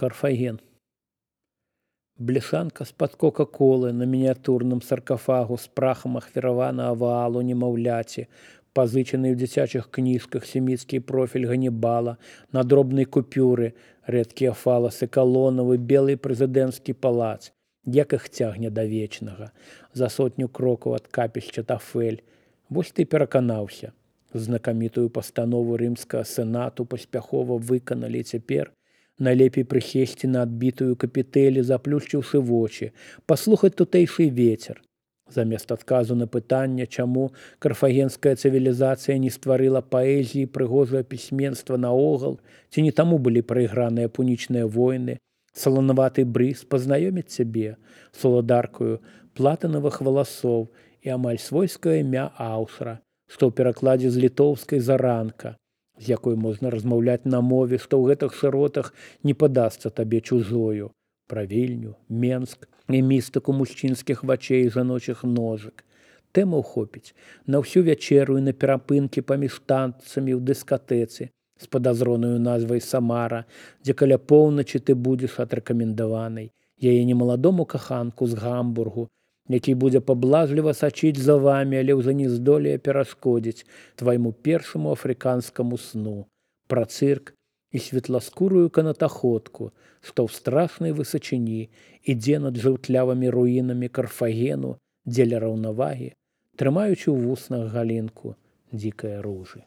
Карфаген. Бляшанка з-пад кока-колы на мініятурным саркафагу з прахам ахвяраванага ваалу немаўляці, пазычаны ў дзіцячых кніжках семіцкі профіль Ганнібала, на дробнай купюры, рэдкія фаласы калонавы, белы прэзідэнцкі палац, як іх цягне да вечнага, за сотню крокаў ад капішча Тафель. Вось ты пераканаўся. Знакамітую пастанову рымскага сенату паспяхова выканалі цяпер. Найлепей прысесці на адбітую капітэлі, заплюшчыўшы вочы, паслухаць тутэйшы вецер. Замест адказу на пытанне, чаму карфагенская цывілізацыя не стварыла паэзіі прыгожае пісьменства наогул, ці не таму былі прайграныя пунічныя войны, саланаваты брыз пазнаёміць цябе, соладаркаю платынавых валасоў і амаль свойскае імя аўтара, што ў перакладзе з літоўскай заранка, з якой можна размаўляць на мове, што ў гэтых шыротах не падасца табе чужою, пра Вільню, Менск і містыку мужчынскіх вачэй і жаночых ножак. Тэмаў хопіць на ўсю вячэру і на перапынкі паміж танцамі ў дыскатэцы з падазронаю назвай Самара, дзе каля поўначы ты будзеш адрэкамендаванай, яе немаладому каханку з Гамбургу, які будзе паблажліва сачыць за вамі, але ўжо не здолее перашкодзіць твайму першаму афрыканскаму сну, пра цырк і светласкурую канатаходку, што ў страшнай высачыні ідзе над жаўтлявымі руінамі Карфагену дзеля раўнавагі, трымаючы ў вуснах галінку дзікае ружы.